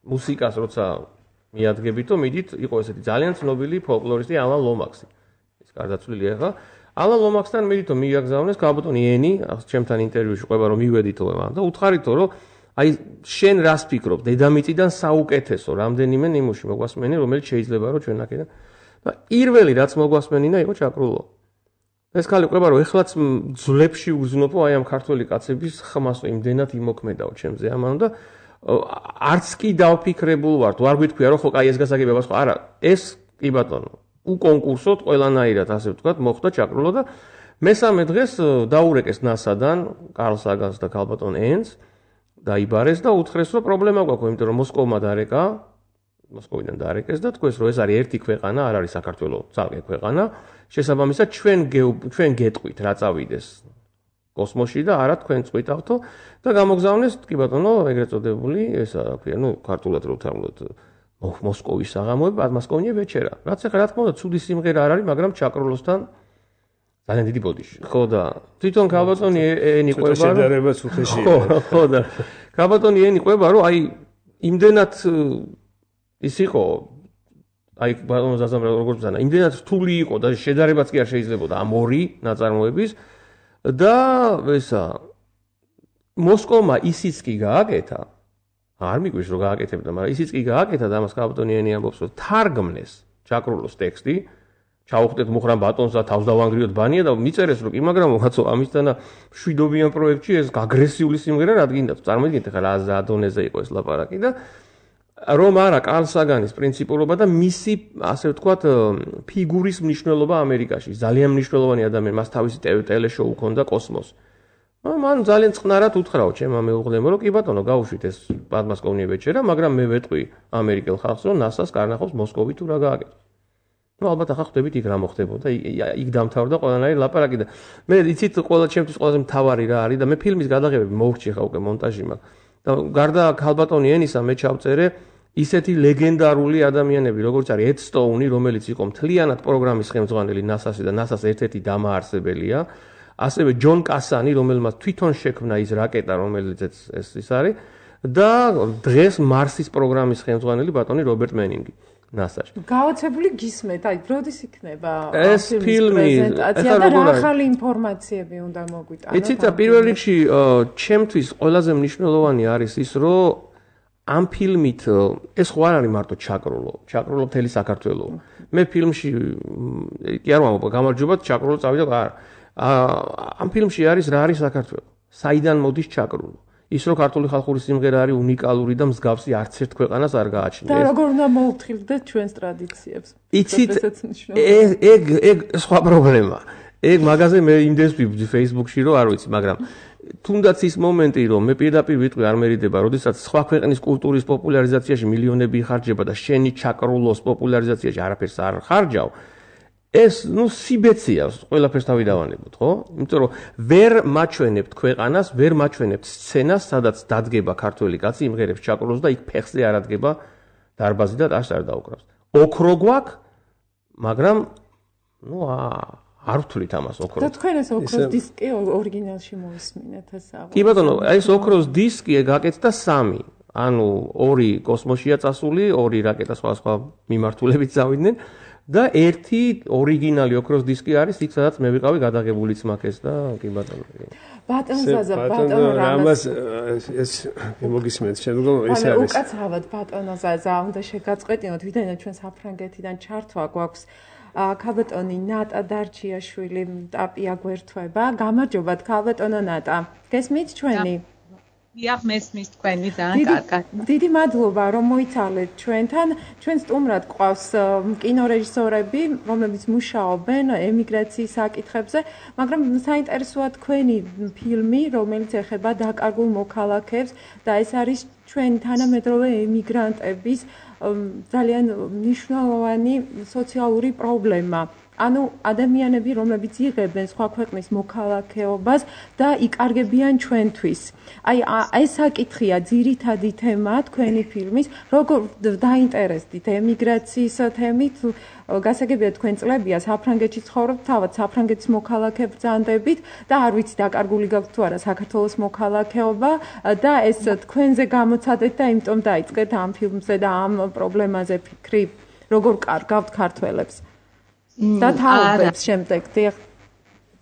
მუსიკას როცა მიადგებითო, მიდით იყო ესეთი ძალიან ცნობილი ფოლკლორისტი ალან ლომაქსი. ის გარდაცვლილია ხა. ალან ლომაქსთან მიდითო მიაგზავნეს კაბოტონი ენი, ჩემთან ინტერვიუში ყვება რომ მივედითო მან და უთხარითო რომ აი შენ რას ფიქრობ დედამიწიდან საუკეთესო რამდენიმე ნიმუში მოგვასმენი რომელიც შეიძლება რომ ჩვენ აქედან და პირველი რაც მოგვასმენინა იყო ჩაკრულო. ეს ხალი ყვება რომ ეხლაც ძლებში უზნობო აი ამ ქართველი კაცების ხმას იმდენად იმოქმედაო ჩემზე ამან და არც კი დავფიქრებულ ვარ თუ არ გვითქვია რომ ხო კაი ეს გასაგებია ხო არა ეს კი ბატონო უკონკურსოდ ყველანაირად ასე ვთქვათ მოხდა ჩაკრულო და მესამე დღეს დაურეკეს ნასადან კარლ საგანს და ქალბატონ ენს დაიბარეს და უთხრეს რომ პრობლემა გვაქვს იმიტომ რომ მოსკოვმა დარეკა მოსკოვიდან დაარეკეს და თქვეს რომ ეს არის ერთი ქვეყანა არ არის საქართველო ძალკე ქვეყანა შესაბამისად ჩვენ გეტყვით რა წავიდეს კოსმოსში და არა თქვენ წვითავთო და გამოგზავნეს კი ბატონო ეგრეთ წოდებული ესა რა ქვია ნუ ქართულად რო ვთამლოთ მოსკოვის საღამოები პადმასკოვნია ვეჩერა რაც ახლა რა თქმა უნდა ცუდი სიმღერა არ არის მაგრამ ჩაკრულოსთან ძალიან დიდი ბოდიში ხო და თვითონ ქალბატონი ენი ყვება რომ შედარებაც უხეშია ხო და ქალბატონი ენი ყვება რომ აი იმდენად ის იყო აი ბატონო ზაზამრა როგორც ბრძანა იმდენად რთული იყო და შედარებაც კი არ შეიძლებოდა ამ ორი ნაწარმოების და ესა მოსკოვმა ისიც კი გააკეთა არ მიგვიშ რომ გააკეთებდა მაგრამ ისიც კი გააკეთა და ამას ქალბატონი ენი ამბობს რომ თარგმნეს ჩაკრულოს ტექსტი ჩაუხდეთ მუხრან ბატონს და თავს დავანგრიოთ ბანია და მიწერეს რომ კი მაგრამ მოხაცო ამისთანა მშვიდობიან პროექტში ეს აგრესიული სიმღერა რადგინდა წარმოიდგინეთ ახლა რა ზადონეზე იყო ეს ლაპარაკი და რომ არა კარლ საგანის პრინციპულობა და მისი ასე ვთქვათ ფიგურის მნიშვნელობა ამერიკაში ძალიან მნიშვნელოვანი ადამიანი მას თავისი ტელეშოუ ჰქონდა კოსმოს მან ძალიან წყნარად უთხრაო ჩემმა მეუღლემ რომ კი ბატონო გავუშვით ეს პადმასკოვნია ვეჩერა მაგრამ მე ვეტყვი ამერიკელ ხალხს რომ NASA-ს კარნახობს მოსკოვი თუ რა გააკეთოს ну ალბათ ახლა ხვდებით იქ რა მოხდებოდა იქ დამთავრდა ყველანაირი ლაპარაკი და მე იცით ყველა ჩემთვის ყველაზე მთავარი რა არის და მე ფილმის გადაღებები მოვრჩი ხა უკვე მონტაჟი მაქვს და გარდა ქალბატონი ენისა მე ჩავწერე ისეთი ლეგენდარული ადამიანები როგორც არის ედ სტოუნი რომელიც იყო მთლიანად პროგრამის ხელმძღვანელი NASA-ში და NASA-ს ერთ-ერთი დამაარსებელია ასევე ჯონ კასანი რომელმაც თვითონ შექმნა ის რაკეტა რომელიც ეს არის და დღეს მარსის პროგრამის ხელმძღვანელი ბატონი რობერტ მენინგი NASA-ში. გაოცებული გისმენთ, აი, როდის იქნება ეს ფილმი პრეზენტაცია და რა ახალი ინფორმაციები უნდა მოგვიტანოთ? იცით, პირველ რიგში ჩემთვის ყველაზე მნიშვნელოვანი არის ის, რომ ამ ფილმით ეს ხო არ არის მარტო ჩაკრულო მთელი საქართველო. მე ფილმში კი არ ვამბობ, გამარჯობა, ჩაკრულო წავიდა, არა. ამ ფილმში არის რა არის საქართველო? საიდან მოდის ჩაკრულო? ის რო ქართული ხალხური სიმღერა არის უნიკალური და მსგავსი არც ერთ ქვეყანას არ გააჩნია. და როგორ უნდა მოუთხილდეთ ჩვენს ტრადიციებს? იცით, ეგ სხვა პრობლემა. ეგ მაგაზე მე იმდენს ვიბძი Facebook-ში რომ არ ვიცი, მაგრამ თუნდაც ის მომენტი რომ მე პირდაპირ ვიტყვი არ მერიდება, როდესაც სხვა ქვეყნის კულტურის პოპულარიზაციაში მილიონები იხარჯება და შენი ჩაკრულოს პოპულარიზაციაში არაფერს არ ხარჯავ. ეს ნუ სიბეცია ყველაფერს თავი დავანებოთ, ხო? იმიტომ რომ ვერ მაჩვენებთ ქვეყანას, ვერ მაჩვენებთ სცენას, სადაც დადგება ქართველი კაცი იმღერებს ჩაკრულოს და იქ ფეხზე არ ადგება დარბაზი და ტაშს არ დაუკრავს. ოქრო გვაქვს, მაგრამ ნუ არ ვთვლით ამას ოქროს. და თქვენ ეს ოქროს დისკი ორიგინალში მოისმინეთ ესა. კი ბატონო, ეს ოქროს დისკი გაკეთდა 3. ანუ 2 კოსმოსშია წასული, 2 რაკეტა სხვა მიმართულებით წავიდნენ. და ერთი ორიგინალი ოქროს დისკი არის იქ სადაც მე ვიყავი გადაღებულიც მაქეს და კი ბატონო. ბატონ ზაზა, ბატონო რამას ეს მოგისმენთ შემდგომ ეს არის. უკაცრავად ბატონო ზაზა, უნდა შეგაწყვეტინოთ, ვიდრე ჩვენ საფრანგეთიდან ჩართვა გვაქვს. ქალბატონი ნატა დარჩიაშვილი ტაპია გვერდება. გამარჯობათ ქალბატონო ნატა. გესმით ჩვენი? დიახ, მესმის თქვენი ძალიან კარგად. დიდი მადლობა რომ მოიცალეთ ჩვენთან. ჩვენ სტუმრად გვყავს კინორეჟისორები, რომლებიც მუშაობენ ემიგრაციის საკითხებზე, მაგრამ საინტერესოა თქვენი ფილმი, რომელიც ეხება დაკარგულ მოქალაქეებს და ეს არის ჩვენ თანამედროვე ემიგრანტების ძალიან მნიშვნელოვანი სოციალური პრობლემა. ანუ ადამიანები, რომლებიც იღებენ სხვა ქვეყნის მოქალაქეობას და იკარგებიან ჩვენთვის. აი ეს საკითხია ძირითადი თემა თქვენი ფილმის, როგორ დაინტერესდით ემიგრაციის თემით. გასაგებია თქვენ წლებია საფრანგეთში ცხოვრობთ, თავად საფრანგეთის მოქალაქე ბრძანდებით და არ ვიცი დაკარგული გაქვთ თუ არა საქართველოს მოქალაქეობა და ეს თქვენზე გამოცადეთ და იმიტომ დაიწყეთ ამ ფილმზე და ამ პრობლემაზე ფიქრი, როგორ კარგავთ ქართველებს. და თაობებს შემდეგ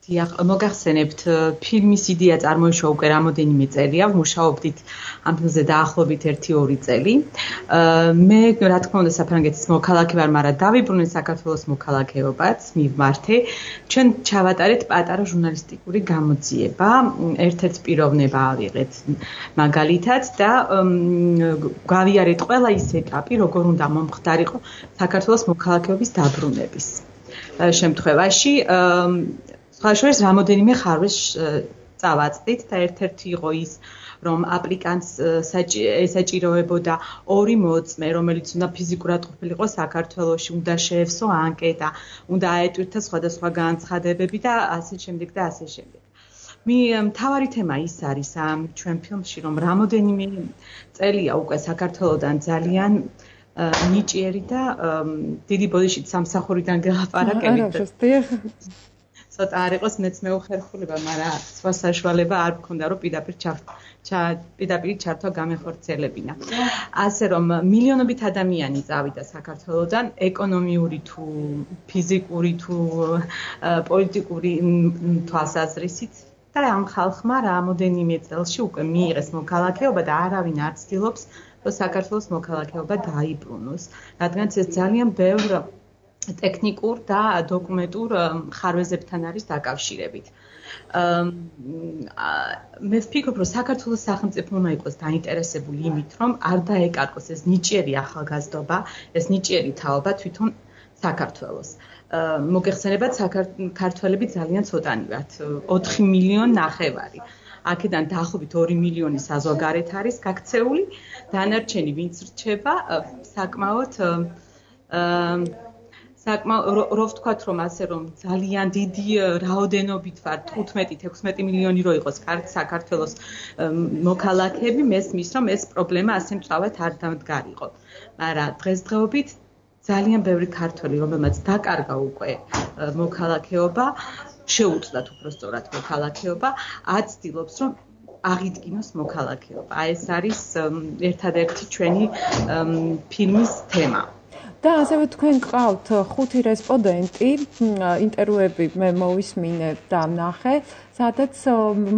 დიახ, მოგახსენებთ, ფილმის იდეა წარმოიშვა უკვე რამოდენიმე წელია, ვმუშაობდით ამ ფილმზე დაახლოებით 1-2 წელი. მე რა თქმა უნდა საფრანგეთის მოქალაქე ვარ, მაგრამ დავიბრუნე საქართველოს მოქალაქეობაც, მივმართე. ჩვენ ჩავატარეთ პატარა ჟურნალისტიკური გამოძიება, ერთ-ერთ პიროვნება ავიღეთ მაგალითად და გავიარეთ ყველა ის ეტაპი, როგორ უნდა მომხდარიყო საქართველოს მოქალაქეობის დაბრუნების შემთხვევაში. სხვა შორის რამოდენიმე ხარვეს წავაწყდით და ერთ-ერთი იყო ის, რომ აპლიკანტს ესაჭიროებოდა 2 მოწმე, რომელიც უნდა ფიზიკურად ყოფილიყო საქართველოში, უნდა შეევსო ანკეტა, უნდა აეტვირთა სხვადასხვა განცხადებები და ასე შემდეგ და ასე შემდეგ. მთავარი თემა ის არის ამ ჩვენ ფილმში, რომ რამოდენიმე წელია უკვე საქართველოდან ძალიან ნიჭიერი და დიდი ბოდიშით სამსახურიდან გელაპარაკებით. ცოტა არ იყოს მეც მეუხერხულება, მაგრამ სხვა საშუალება არ მქონდა, რომ პირდაპირ ჩართვა გამეხორციელებინა. ასე რომ მილიონობით ადამიანი წავიდა საქართველოდან, ეკონომიური თუ ფიზიკური თუ პოლიტიკური თვალსაზრისით და ამ ხალხმა რამოდენიმე წელში უკვე მიიღეს მოქალაქეობა და არავინ არ ცდილობს, რომ საქართველოს მოქალაქეობა დაიბრუნოს, რადგან ეს ძალიან ბევრ ტექნიკურ და დოკუმენტურ ხარვეზებთან არის დაკავშირებით. მე ვფიქრობ, რომ საქართველოს სახელმწიფო უნდა იყოს დაინტერესებული იმით, რომ არ დაეკარგოს ეს ნიჭიერი ახალგაზრდობა, ეს ნიჭიერი თაობა თვითონ საქართველოს. მოგეხსენებათ, ქართველები ძალიან ცოტანი ვართ, 4 მილიონი ნახევარი. აქედან დაახლოებით 2 მილიონი საზღვარგარეთ არის გაქცეული, დანარჩენი ვინც რჩება, საკმაოდ რო ვთქვათ, რომ ასე რომ ძალიან დიდი რაოდენობით ვარ 15-16 მილიონი რო იყოს საქართველოს მოქალაქეები, მესმის რომ ეს პრობლემა ასე მწვავედ არ დამდგარიყო. მაგრამ დღესდღეობით ძალიან ბევრი ქართველი, რომელმაც დაკარგა უკვე მოქალაქეობა, შეუწყვეტ უბრალოდ მოქალაქეობა, აცდილობს რომ აღიდგინოს მოქალაქეობა. ეს არის ერთადერთი ჩვენი ფილმის თემა. და ასევე თქვენ გყავთ 5 რესპონდენტი, ინტერვიუები მე მოვისმინე და ვნახე, სადაც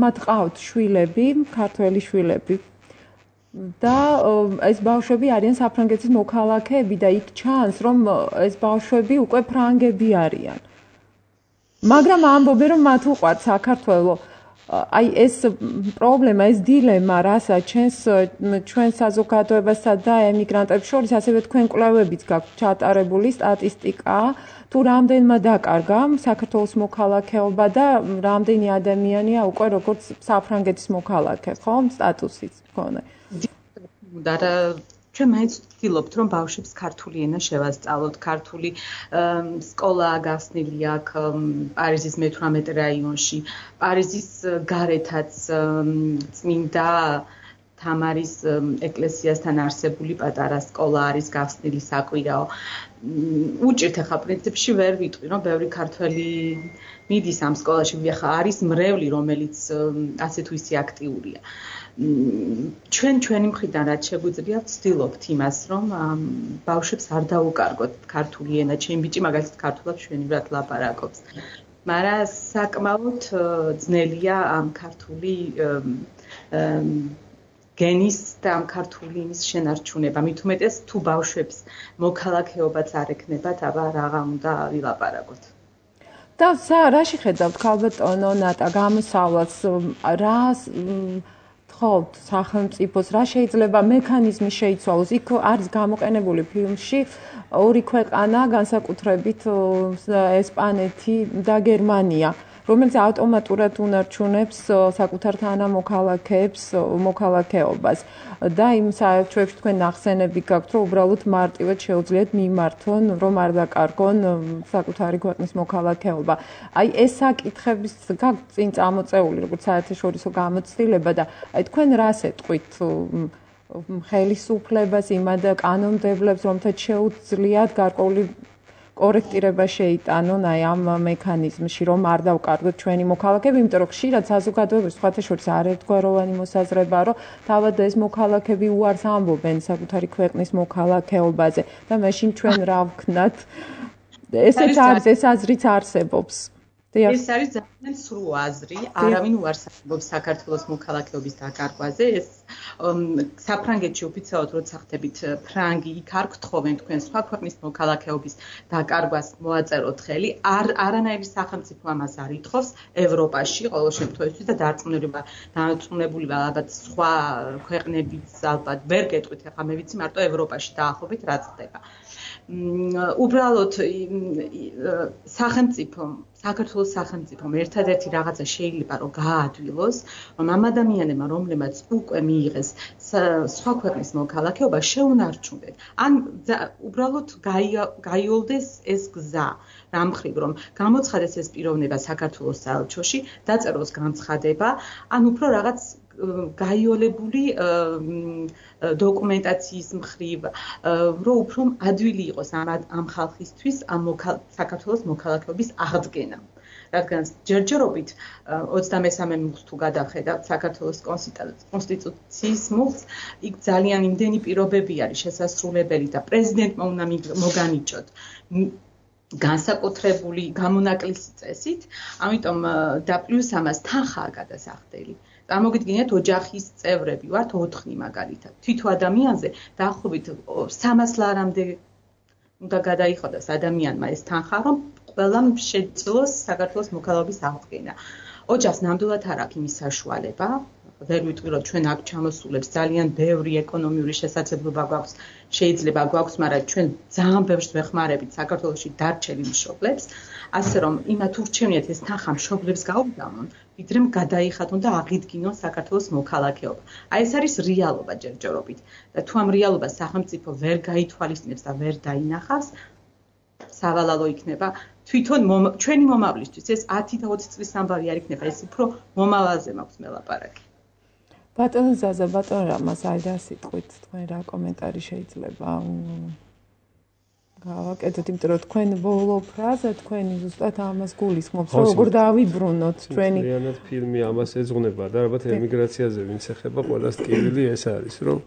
მათ ყავთ შვილები, ქართველი შვილები. და ეს ბავშვები არიან საფრანგეთის მოქალაქეები და იქ ჩანს, რომ ეს ბავშვები უკვე ფრანგები არიან. მაგრამ ამბობენ, რომ მათ უყვართ საქართველო. აი ეს პრობლემა, ეს დილემა, რასაც ჩვენ საზოგადოებასა და ემიგრანტებს შორის, ასევე თქვენ კვლევებიც გაქვთ ჩატარებული სტატისტიკა, თუ რამდენმა დაკარგა საქართველოს მოქალაქეობა და რამდენი ადამიანია უკვე როგორც საფრანგეთის მოქალაქე, ხო, სტატუსიც მქონე. ჩვენ მაინც ვცდილობთ, რომ ბავშვებს ქართული ენა შევასწავლოთ, ქართული სკოლა გახსნილი აქ პარიზის მე-18 რაიონში, პარიზის გარეთაც წმინდა თამარის ეკლესიასთან არსებული პატარა სკოლა არის გახსნილი საკვირაო. უჭირთ ახლა პრინციპში ვერ ვიტყვი, რომ ბევრი ქართველი მიდის ამ სკოლაში, ვიხა არის მრევლი, რომელიც ასე თუ ისე აქტიურია. ჩვენი მხრიდან რაც შეგვიძლია ვცდილობთ იმას, რომ ბავშვებს არ დაუკარგოთ ქართული ენა, ჩემი ბიჭი მაგალითად ქართულად მშვენივრად ლაპარაკობს. მაგრამ საკმაოდ ძნელია ამ ქართული გენის და ამ ქართული იმის შენარჩუნება. მით უმეტეს თუ ბავშვებს მოქალაქეობაც არ ექნებათ, აბა რაღა უნდა ვილაპარაკოთ. და რაში ხედავთ ქალბატონო ნატა გამოსავლას, რას თხოვთ სახელმწიფოს, რა შეიძლება მექანიზმი შეიცვალოს? იქ არის გამოყენებული ფილმში 2 ქვეყანა, განსაკუთრებით ესპანეთი და გერმანია. რომელიც ავტომატურად უნარჩუნებს საკუთარ თანამოქალაქეებს მოქალაქეობას და იმ საერთოებში თქვენ ნახსენები გაქვთ, რომ უბრალოდ მარტივად შეუძლიათ მიმართონ, რომ არ დაკარგონ საკუთარი ქვეყნის მოქალაქეობა. აი ეს საკითხების გაქვთ წინ წამოწეული, როგორც საერთაშორისო გამოცდილება და აი თქვენ რას ეტყვით ხელისუფლებას, იმად კანონმდებლებს, რომთაც შეუძლიათ გარკვეული კორექტირება შეიტანონ აი ამ მექანიზმში, რომ არ დავკარგოთ ჩვენი მოქალაქეები, იმიტომ რომ ხშირად საზოგადოების სხვათა შორის არაერთგვაროვანი მოსაზრებაა, რომ თავად ეს მოქალაქეები უარს ამბობენ საკუთარი ქვეყნის მოქალაქეობაზე და მაშინ ჩვენ რა ვქნათ? ეს აზრიც არსებობს. ეს არის ძალიან სრულ აზრი, არავინ უარს ამბობს საქართველოს მოქალაქეობის დაკარგვაზე. ეს საფრანგეთში ოფიციალურად როცა ხდებით ფრანგი, იქ არ გთხოვენ თქვენ სხვა ქვეყნის მოქალაქეობის დაკარგვას მოაწეროთ ხელი. არანაირი სახელმწიფო ამას არ ითხოვს ევროპაში ყოველ შემთხვევაში და დარწმუნებული ვარ, ალბათ სხვა ქვეყნებიც ალბათ ვერ გეტყვით, ახლა მე ვიცი მარტო ევროპაში დაახლოებით რა ხდება. უბრალოდ საქართველოს სახელმწიფომ ერთადერთი რაღაცა შეიძლება რომ გააადვილოს, რომ ამ ადამიანებმა, რომლებმაც უკვე მიიღეს სხვა ქვეყნის მოქალაქეობა, შეუნარჩუნდეთ. ან უბრალოდ გაიოლდეს ეს გზა, რამ ხრივ, რომ გამოცხადეს ეს პიროვნება საქართველოს საელჩოში, დაწეროს განცხადება, ან უფრო რაღაც გაიოლებული დოკუმენტაციის მხრივ, რომ უფრო ადვილი იყოს ამ ხალხისთვის საქართველოს მოქალაქეობის აღდგენა. რადგან ჯერჯერობით 23 მუხლს თუ გადავხედავთ საქართველოს კონსტიტუციის მუხლს, იქ ძალიან იმდენი პირობები არის შესასრულებელი და პრეზიდენტმა უნდა მოგანიჭოთ განსაკუთრებული გამონაკლისი წესით, ამიტომ და პლუს ამას თანხაა გადასახდელი. წარმოგიდგენთ, ოჯახის წევრები ვართ 4 მაგალითად. თვითო ადამიანზე დაახლოებით 300 ლარამდე უნდა გადაიხადოს ადამიანმა ეს თანხა, რომ ყველამ შეძლოს საქართველოს მოქალაქეობის აღდგენა. ოჯახს ნამდვილად არ აქვს იმის საშუალება. ვერ ვიტყვი, რომ ჩვენ აქ ჩამოსულებს ძალიან ბევრი ეკონომიური შესაძლებლობა გვაქვს, შეიძლება გვაქვს, მაგრამ ჩვენ ძალიან ბევრს ვეხმარებით საქართველოში დარჩენილ მშობლებს, ასე რომ იმათ ურჩევნიათ ეს თანხა მშობლებს გაუგამონ, ვიდრე გადაიხადონ და აღიდგინონ საქართველოს მოქალაქეობა. აი ეს არის რეალობა ჯერჯერობით და თუ ამ რეალობას სახელმწიფო ვერ გაითვალისწინებს და ვერ დაინახავს, სავალალო იქნება თვითონ ჩვენი მომავლისთვის ეს 10 და 20 წლის ამბავი არ იქნება, ეს უფრო მომავალზე მაქვს მელაპარაკი. ბატონო ზაზა, ბატონო რამას აი რა სიტყვით თქვენ რა კომენტარი შეიძლება გავაკეთოთ, იმიტომ რომ თქვენ ბოლო ფრაზა თქვენი ზუსტად ამას გულისხმობს, რომ როგორ დავიბრუნოთ ჩვენი realmente ფილმი ამას ეძღვნება და ალბათ ემიგრაციაზე ვინც ეხება ყველას ტკივილი ეს არის, რომ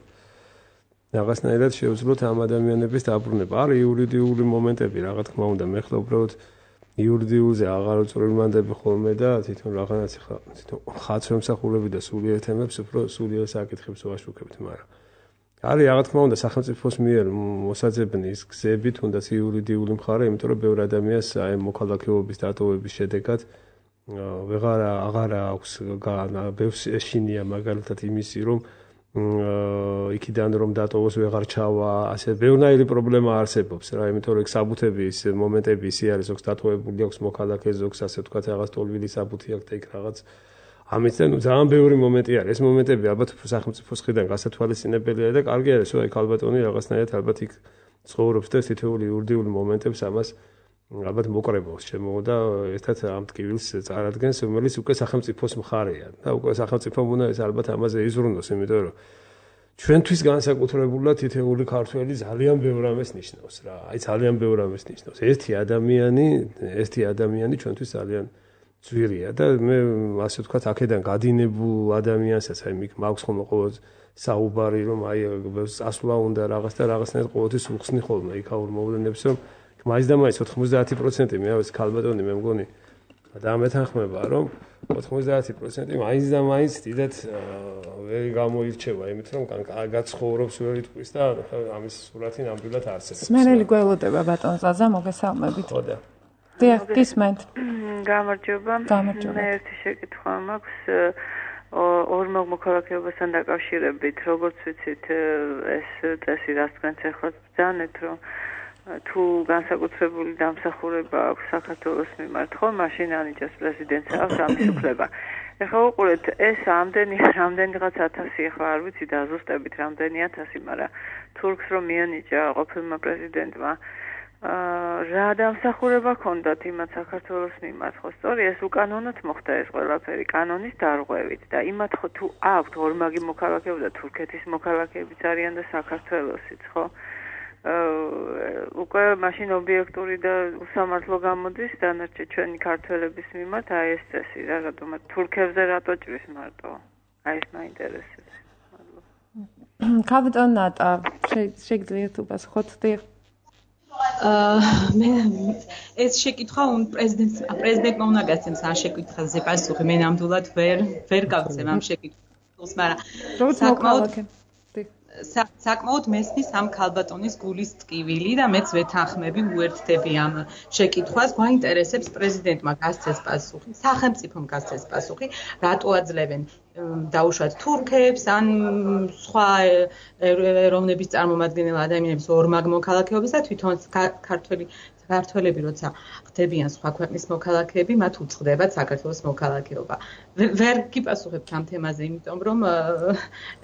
რაღაცნაირად შეუძლოთ ამ ადამიანების დაბრუნება. არის იურიდიული მომენტები, რა თქმა უნდა, მე ხლა უბრალოდ იურიდიულზე აღარ უწვრილმანდები ხოლმე და თვითონ რაღაცა ხა თვითონ ხაცრემსახურები და სულიერ თემებს უფრო სულიერ საკითხებს ვაშუქებთ, მაგრამ არის რა თქმა უნდა სახელმწიფოს მიერ მოსაძებნი ის გზები, თუნდაც იურიდიული მხარე, იმიტომ რომ ბევრ ადამიანს აი მოქალაქეობის დატოვების შედეგად აღარ აქვს ბევრს ეშინია მაგალითად იმისი, რომ იქიდან რომ დატოვოს ვეღარ ჩავა, ასე ბევრნაირი პრობლემა არსებობს რა, იმიტომ რომ საბუთები ის მომენტები ისე არის, ზოგს დატოვებული აქვს მოქალაქე, ზოგს ასე ვთქვათ რაღაც ტოლვილი საბუთი აქვს და იქ რაღაც ამით და ძალიან ბევრი მომენტი არის. ეს მომენტები ალბათ სახელმწიფოს მხრიდან გასათვალისწინებელია და კარგი არის, რომ აი ქალბატონი რაღაცნაირად ალბათ იქ ცხოვრობს და თითოეული იურიდიული მომენტებს ამას ალბათ მოკრებავს შემო და ერთად ამ ტკივილს წარადგენს, რომელიც უკვე სახელმწიფოს მხარეა და უკვე სახელმწიფომ უნდა ეს ალბათ ამაზე იზრუნოს, იმიტომ რომ ჩვენთვის განსაკუთრებულად თითოეული ქართველი ძალიან ბევრ ამას ნიშნავს რა. აი ძალიან ბევრ ამას ნიშნავს. ერთი ადამიანი ჩვენთვის ძალიან ძვირია და მე ასე ვთქვათ, აქედან გადინებულ ადამიანსაც აი მიქ მაქვს ხოლმე ყოველ საუბარი, რომ აი წასვლა უნდა რაღაც და რაღაცნაირად ყოველთვის უხსნი ხოლმე იქაურ მოვლენებს, რომ მაინც და მაინც 90% მე ავეს ქალბატონი მე მგონი და მეთანხმება, რომ 90% მაინც და მაინც დიდად ვერ გამოირჩევა, იმით რომ კარგად ცხოვრობს ვერ იტყვის და ამის სურათი ნამდვილად არსებობს. სმენელი გველოდება ბატონ ზაზა, მოგესალმებით. ხო და დიახ, გისმენთ. გამარჯობა. მე ერთი შეკითხვა მაქვს ორმაგი მოქალაქეობასთან დაკავშირებით, როგორც ვიცით, ეს წესი რაც თქვენც ახლა ბრძანეთ, რომ თუ განსაკუთრებული დამსახურება აქვს საქართველოს მიმართ, ხო, მაშინ ანიჭებს პრეზიდენტს აქვს ამის უფლება. ეხლა უყურეთ, ეს რამდენიღაც 1000 ეხლა არ ვიცი დაზუსტებით რამდენი 1000, მაგრამ თურქს რომ მიანიჭა ყოფილმა პრეზიდენტმა რა დამსახურება ჰქონდათ იმათ საქართველოს მიმართ, ხო, სწორი, ეს უკანონოდ მოხდა ეს ყველაფერი კანონის დარღვევით და იმათ ხო თუ აქვთ ორმაგი მოქალაქეობა და თურქეთის მოქალაქეებიც არიან და საქართველოსიც, ხო? უკვე მაშინ ობიექტური და უსამართლო გამოდის დანარჩენ ჩვენი ქართველების მიმართ აი ეს წესი რა, რადგან თურქებზე რატო ჭრის მარტო? აი ეს მაინტერესებს. მადლობა. კაპიტან ნატა, შეგიძლიათ უპასუხოთ? მე ეს შეკითხვა პრეზიდენტმა უნდა გასცემს ამ შეკითხვაზე პასუხი. მე ნამდვილად ვერ გავცემ ამ შეკითხვას, მაგრამ საკმაოდ მესმის ამ ქალბატონის გულის ტკივილი და მეც ვეთანხმები უერთდები ამ შეკითხვას. გვაინტერესებს პრეზიდენტმა გასცეს პასუხი, სახელმწიფომ გასცეს პასუხი, რატო აძლევენ დაუშვათ თურქებს ან სხვა ეროვნების წარმომადგენელ ადამიანებს ორმაგ მოქალაქეობას და თვითონ ქართველები როცა ხდებიან სხვა ქვეყნის მოქალაქეები, მათ უწყდებათ საქართველოს მოქალაქეობა. ვერ გიპასუხებთ ამ თემაზე, იმიტომ რომ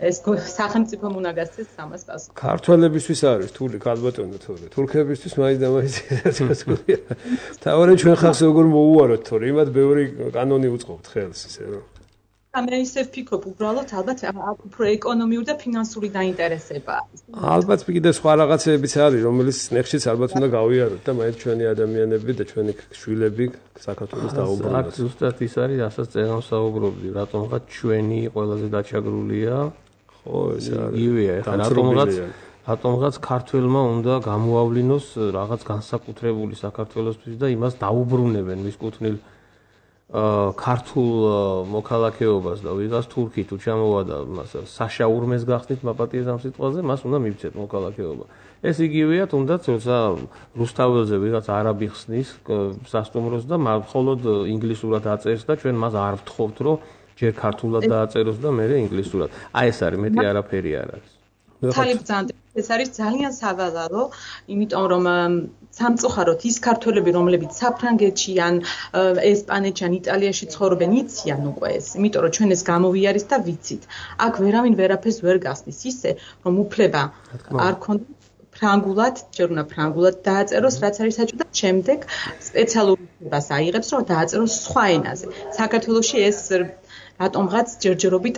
ეს სახელმწიფომ უნდა გასცეს ამას პასუხი. ქართველებისთვის არის რთული ქალბატონო თორე თურქებისთვის მაინც და მაინც გასაგებია. თავარი ჩვენ ხალხს როგორ მოუაროთ თორე იმათ ბევრი კანონი უწყობთ ხელს ისე რომ მე ისე ვფიქრობ, უბრალოდ ალბათ უფრო ეკონომიური და ფინანსური დაინტერესებაა. ალბათ კიდე სხვა რაღაცებიც არის, რომელიც ნეხშიც ალბათ უნდა გავიაროთ და მაინც ჩვენი ადამიანები და ჩვენი შვილები საქართველოს დაუბრუნდეთ. ზუსტად ის არის, რასაც წერან საუბრობდი, რატომღაც ჩვენი ყველაზე დაჩაგრულია. ხო, ეს არის. იგივეა, ეხლა რატომღაც ქართველმა უნდა გამოავლინოს რაღაც განსაკუთრებული საქართველოსთვის და იმას დაუბრუნებენ მის კუთვნილ ქართულ მოქალაქეობას და ვიღაც თურქი თუ ჩამოვადა მას საშაურმეს გახსნით მაპატიეს ამ სიტყვაზე, მას უნდა მივცეთ მოქალაქეობა. ეს იგივეა, თუნდაც როცა რუსთაველზე ვიღაც არაბი ხსნის სასტუმროს და მხოლოდ ინგლისურად აწერს და ჩვენ მას არ ვთხოვთ, რომ ჯერ ქართულად დააწეროს და მერე ინგლისურად. აი ეს არის, მეტი არაფერი არ არის. ეს არის ძალიან სავალალო, იმიტომ რომ სამწუხაროდ ის ქართველები, რომლებიც საფრანგეთში ან ესპანეთში ან იტალიაში ცხოვრობენ, იციან უკვე ეს, იმიტომ რომ ჩვენ ეს გამოვიარეს და ვიცით. აქ ვერავინ ვერაფერს ვერ გახსნის, ისე რომ უფლება არ ქონდა ფრანგულად, ჯერ უნდა ფრანგულად დააწეროს, რაც არის საჭირო და შემდეგ სპეციალურ უფლებას აიღებს, რომ დააწეროს სხვა ენაზე. საქართველოში ეს რატომღაც ჯერჯერობით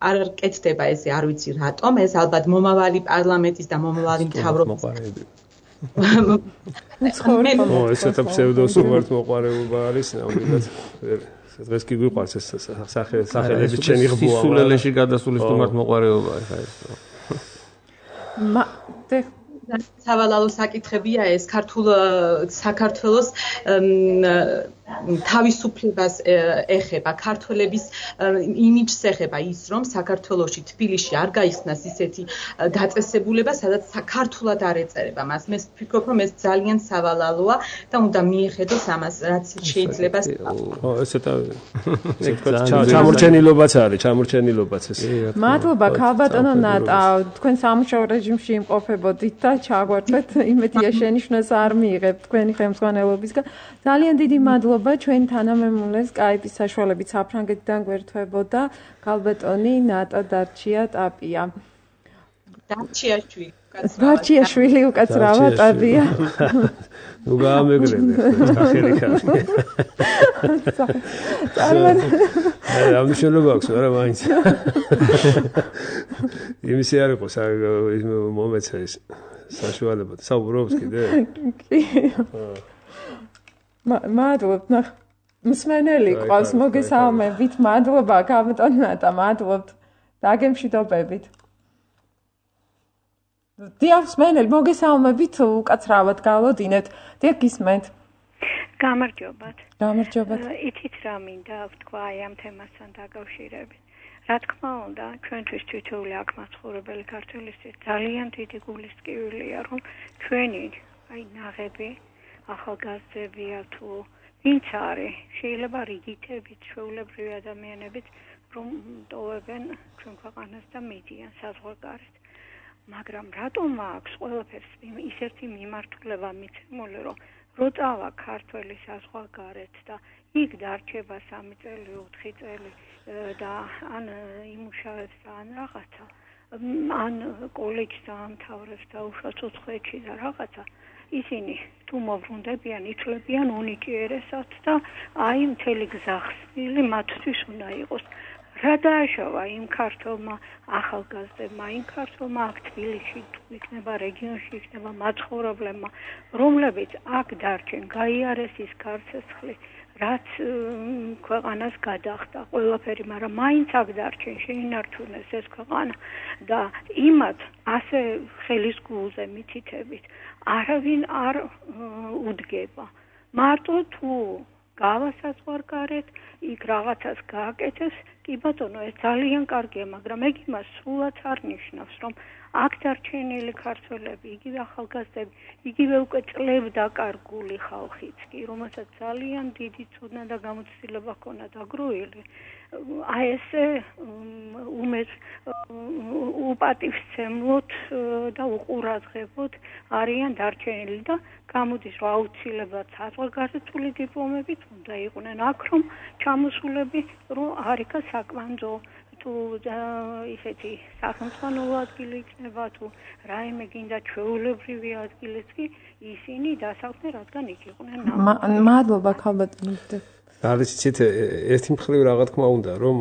არ კეთდება ესე, არ ვიცი რატომ, ეს ალბათ მომავალი პარლამენტის და მომავალი მთავრობის ესეთა ფსევდოსუმართ მოყარეობა არის, ნამდვილად დღეს კი გვიყვარს ეს სახელები ჩენი ღბოა. სისულელეში გადასული სტუმართ მოყარეობა ხა ეს. სავალალო საკითხებია ეს საქართველოს თავისუფლებას ეხება, ქართველების იმიჯს ეხება ის, რომ საქართველოში თბილისში არ გაიხსნას ისეთი დაწესებულება, სადაც ქართულად არ ეწერება მას. მე ვფიქრობ, რომ ეს ძალიან სავალალოა და უნდა მიეხედოს ამას, რაც შეიძლება. ხო, ესეთა ჩამორჩენილობაც არის, ჩამორჩენილობაც ეს. მადლობა ქალბატონო ნატა, თქვენ სამუშაო რეჟიმში იმყოფებოდით და ჩაგვართვეთ, იმედია შენიშვნას არ მიიღებთ თქვენი ხელმძღვანელობისგან. ძალიან დიდი მადლობა. ჩვენ თანამემულეს Skype-ის საშუალებით საფრანგეთიდან გვერდთვებოდა ქალბატონი ნატა დარჩია-ტაპია. დარჩიაშვილი უკაცრავად ტაპია. ნუ გაამეგრებე სახელი ქალი. ამ შეიძლება აქვს, მაგრამ მაინც. იმისი არ იყოს მომეცა ეს საშუალება. საუბრობს კიდე? კი. მადლობთ, მსმენელი ყავს, მოგესალმებით, მადლობა ქალბატონ ნატა, მადლობთ. დაგემშვიდობებით. დიახ, მსმენელი, მოგესალმებით, უკაცრავად გავოდინეთ. დიახ, გისმენთ. გამარჯობათ. გამარჯობათ. იცით რა მინდა ვთქვა აი ამ თემასთან დაკავშირებით. რა თქმა უნდა, ჩვენთვის თითოეული აქ მაცხოვრებელი ქართველისთვის ძალიან დიდი გულის ტკივილია, რომ ჩვენი აი ნაღები ახალგაზრდებია თუ ვინც არის, შეიძლება რიგითებით ჩვეულებრივი ადამიანებიც რომ ტოვებენ ჩვენ ქვეყანას და მიდიან საზღვარგარეთ. მაგრამ რატომ აქვს ყველაფერს ისეთი მიმართულება მიცემული, რომ როწავა ქართველი საზღვარგარეთ და იქ დარჩება 3 წელი, 4 წელი და ან იმუშავებს და ან რაღაცა, ან კოლეჯს დაამთავრებს და უშუალოდ უცხოეთში და რაღაცა, ისინი თუ მოვრუნდებიან, ითვლებიან უნიჭიერესად და აი მთელი გზახსნილი მათთვის უნდა იყოს. რა დააშავა იმ ქართველმა ახალგაზრდებმა, იმ ქართველმა აქ თბილისში თუ იქნება რეგიონში იქნება მაცხოვრებლებმა, რომლებიც აქ დარჩენ, გაიარეს ის გარსესხლი, რაც ქვეყანას გადახდა ყველაფერი, მაგრამ მაინც აქ დარჩენ, შეინარჩუნეს ეს ქვეყანა და იმათ ასე ხელის გულზე მითითებით არავინ არ უდგება. მარტო თუ გავასაზღვარგარეთ, იქ რაღაცას გააკეთეს, კი ბატონო, ეს ძალიან კარგია, მაგრამ ეგ იმას სულაც არ ნიშნავს, რომ აქ დარჩენილი ქართველები, იგივე ახალგაზრდები, იგივე უკვე წლებდაკარგული ხალხიც კი, რომელსაც ძალიან დიდი ცოდნა და გამოცდილება ჰქონდა დაგროვილი, აი ესე უპატივცემლოდ და უყურადღებოდ არიან დარჩენილი და გამოდის, რომ აუცილებლად საზღვარგარეთული დიპლომებით უნდა იყვნენ აქ, რომ ჩამოსულები, რომ არიქა საკვანძო თუ ისეთი სახელმწიფო ადგილი იქნება, თუ რაიმე გინდა ჩვეულებრივი ადგილიც კი, ისინი დასახლდნენ, რადგან იქ იყვნენ. მადლობა ქალბატონო. არის იცით ერთი მხრივ რა თქმა უნდა რომ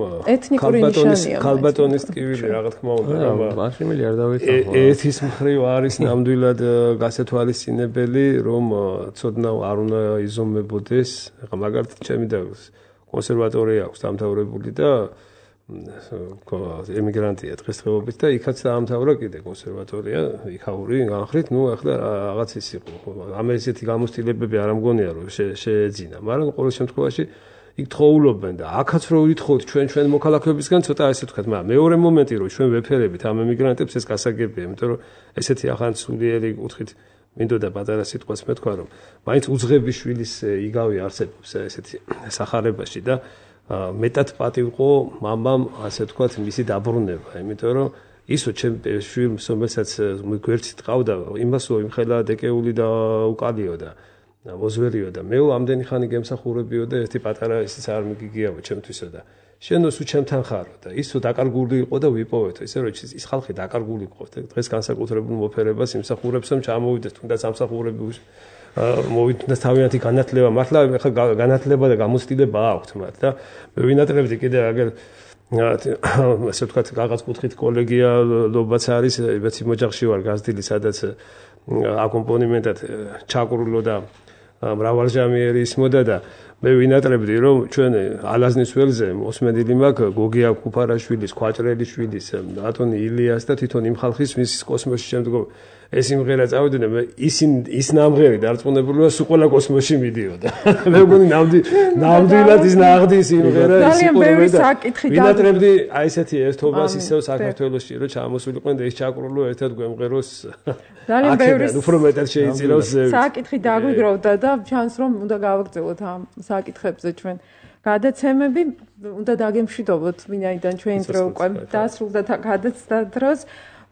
ქალბატონის ტკივილი რა თქმა უნდა რომ მაშინ არ დავიწყო ერთის მხრივ არის ნამდვილად გასათვალისწინებელი რომ ცოდნა არ უნდა იზომებოდეს ახლა მაგალითად ჩემი და კონსერვატორია აქვს დამთავრებული და ემიგრანტია დღესდღეობით და იქაც დაამთავრა კიდე კონსერვატორია იქაური განხრით ნუ ახლა რაღაც ის იყო ამ ესეთი გამოცდილებები არ ამგონია რომ შეეძინა მაგრამ ყოველ შემთხვევაში იქ თხოვულობენ და აქაც რო ვითხოვთ ჩვენ მოქალაქეებისგან ცოტა ესე ვთქვათ მაგრამ მეორე მომენტი რომ ჩვენ ვეფერებით ამ ემიგრანტებს ეს გასაგებია იმიტომ რომ ესეთი ახან სულიერი კუთხით მინდოდა პატარა სიტყვას მეთქვა რომ მაინც უძღების შვილის იგავი არსებობს ესეთი სახარებაში და მეტად პატივყო მამამ ასე ვთქვათ მისი დაბრუნება იმიტომ რომ ისო ჩემ შვილს რომელსაც გვერდით ყავდა იმასო იმხელა დეკეული და უკალიო და მოზვერიო და მე ამდენი ხანი გემსახურებიო და ერთი პატარა ისიც არ მიგიგიაო ჩემთვისო და შენო სულ ჩემთან ხარო და ისო დაკარგული იყო და ვიპოვეთო ისე რომ ის ხალხი დაკარგული იყო დღეს განსაკუთრებულ მოფერებას იმსახურებს რომ ჩამოვიდეს თუნდაც ამსახურები მოვიდა თავიანთი განათლება მართლა ხა განათლება და გამოცდილება აქვს მათ და მე ვინატრებდი კიდე აგერ ასე ვთქვათ რაღაც კუთხით კოლეგიალობაც არის ეცი მოჯახში ვარ გაზრდილი სადაც აკომპონიმენტად ჩაკრულო და მრავალჟამიერი ისმოდა და მე ვინატრებდი რომ ჩვენ ალაზნის ველზე მოსმენილი მაქვს გოგია ქუფარაშვილის, ხვაჭრელიშვილის, ატონი ილიას და თვითონ იმ ხალხის მის კოსმოსში შემდგომ ეს იმღერა წავიდნენ მე ის ნამღერი დარწმუნებულია სულ ყველა კოსმოსში მიდიოდა მე მგონი ნამდვილად ის ნაღდის იმღერა სიყურებე და ვინატრებდი აი ესეთი ერთობას ისევ საქართველოში რომ ჩამოსულიყვენ და ის ჩაკრულო ერთად გვემღეროს ძალიან ბევრი უფრო მეტად შეიწირავს საკითხი დაგვიგროვდა და ჩანს რომ უნდა გავაგრძელოთ ამ საკითხებზე ჩვენ გადაცემები უნდა დაგემშვიდობოთ ვინაიდან ჩვენი დრო უკვე დასრულდა და გადაცდა დროს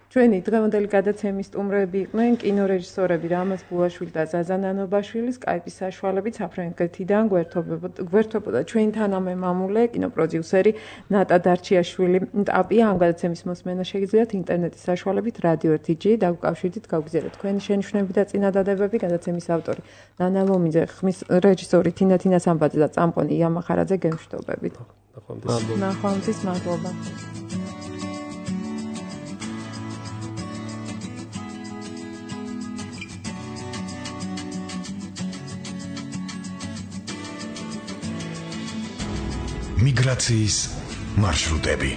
ჩვენი დღევანდელი გადაცემის სტუმრები იყვნენ კინორეჟისორები რამაზ ბულაშვილი და ზაზა ნანობაშვილი სკაიპის საშუალებით საფრანგეთიდან გვერდებოდა ჩვენი თანამემამულე კინოპროდიუსერი ნატა დარჩიაშვილი ტაპია ამ გადაცემის მოსმენა შეგიძლიათ ინტერნეტის საშუალებით რადიო 1G დაგუკავშირდით გავგზავნეთ თქვენი შენიშვნები და წინადადებები გადაცემის ავტორი ნანა ლომიძე ხმის რეჟისორი თინა სამბაძე და წამყვანი ია მახარაძე გემშვიდობებით ნახვამდის მადლობა მიგრაციის მარშრუტები